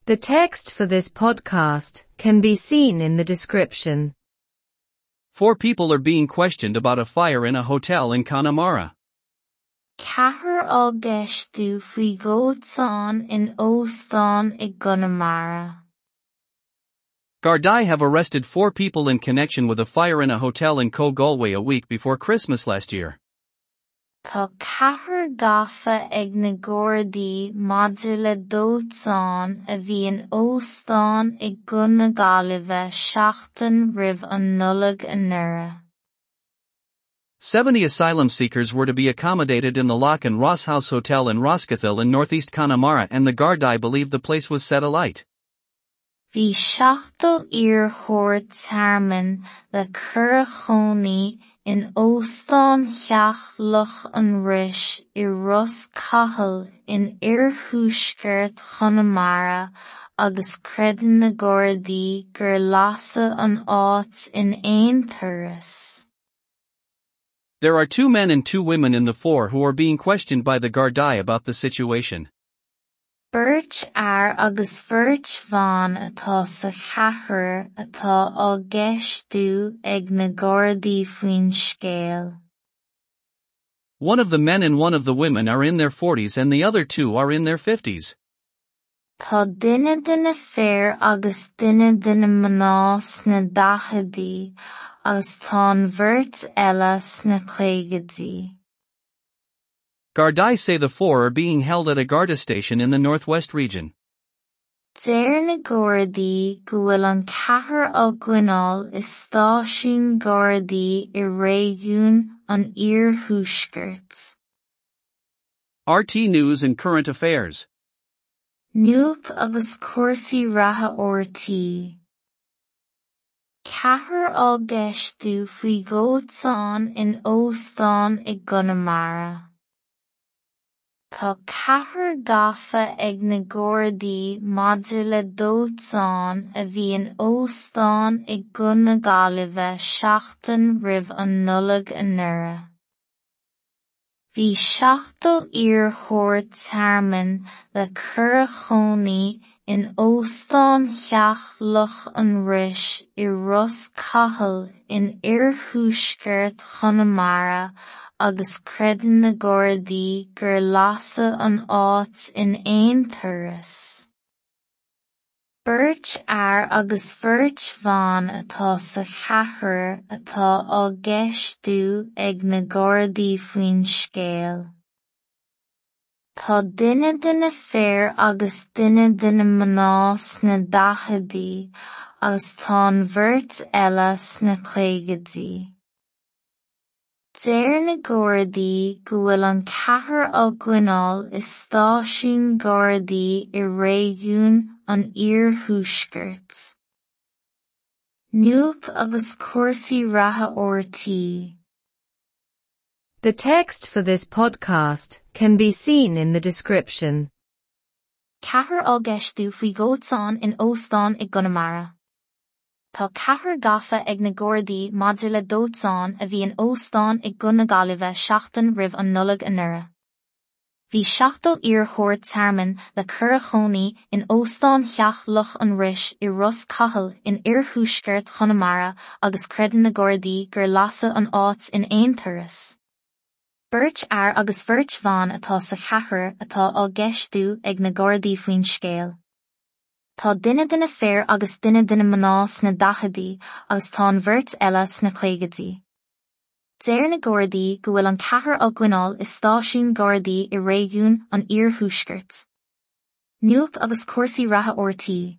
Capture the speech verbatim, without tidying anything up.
The text for this podcast can be seen in the description. Four people are being questioned about a fire in a hotel in Connemara. Ceathrar á gceistiú faoi dhóiteán in óstán i gConamara. Gardaí have arrested four people in connection with a fire in a hotel in Co Galway a week before Christmas last year. Tá ceathrar gafa ag na Gardaí maidir le dóiteán a bhí in óstán i gCo na Gaillimhe seachtain roimh an Nollaig anuraidh. Seventy asylum seekers were to be accommodated in the Loch and Ross House Hotel in Rosscahill in northeast Connemara and the Gardaí believe the place was set alight. Bhí seachtó iarrthóir tearmainn le cur a chónaí in Óstán Theach Loch an Rois i Ros Cathail in oirthuaisceart Chonamara agus creideann na Gardaí gur lasadh an áit in aon turas. There are two men and two women in the four who are being questioned by the Gardaí about the situation. Beirt fhear agus beirt bhan atá sa cheathrar atá á gceistiú ag na Gardaí faoin scéal. One of the men and one of the women are in their forties and the other two are in their fifties. Tá duine de na fir agus duine de na mná sna daicheadaí agus tá an bheirt eile sna caogaidí. Gardaí say the four are being held at a Garda station in the northwest region. Deir na Gardaí go bhfuil an ceathrar á gcoinneáil i stáisiún Gardaí i réigiún an Iarthuaiscirt. RTÉ News and Current Affairs. Nuacht agus cúrsaí reatha RTÉ. Ceathrar á gceistiú faoi dhóiteán in óstán i gConamara. Tá ceathrar gafa ag na Gardaí maidir le dóiteán a bhí in óstán i gCo na Gaillimhe seachtain roimh an Nollaig anuraidh. Bhí seachtó iarrthóir tearmainn le cur a chónaí in Óstán Theach Loch an Rois i Ros Cathail in oirthuaisceart Chonamara agus creideann na Gardaí gur lasadh an áit in aon turas. Beirt fhear agus beirt bhan atá sa cheathrar atá á gceistiú ag na Gardaí faoin scéal. Tá duine de na fir agus duine de na mná sna daicheadaí agus tá an bheirt eile sna caogaidí. Deir na Gardaí go bhfuil an ceathrar á gcoinneáil i stáisiún Gardaí i réigiún an Iarthuaiscirt. Nuacht agus cúrsaí reatha RTÉ. The text for this podcast can be seen in the description. Ceathrar á gceistiú faoi dhóiteán in óstán i gConamara. Tá ceathrar gafa ag na Gardaí maidir le dóiteán a bhí in óstán i gCo na Gaillimhe seachtain roimh an Nollaig anuraidh. Bhí seachtó iarrthóir tearmainn le cur a chónaí in Óstán Theach Loch an Rois i Ros Cathail in oirthuaisceart Chonamara agus creideann na Gardaí gur lasadh an áit in aon turas. Beirt fhear agus beirt bhan atá sa cheathrar atá á gceistiú ag na Gardaí faoin scéal. Tá duine de na fir agus duine de na mná sna daicheadaí agus tá an bheirt eile sna caogaidí. Deir na Gardaí go bhfuil an ceathrar á gcoinneáil i stáisiún Gardaí i réigiún an Iarthuaiscirt. Nuacht agus cúrsaí reatha RTÉ.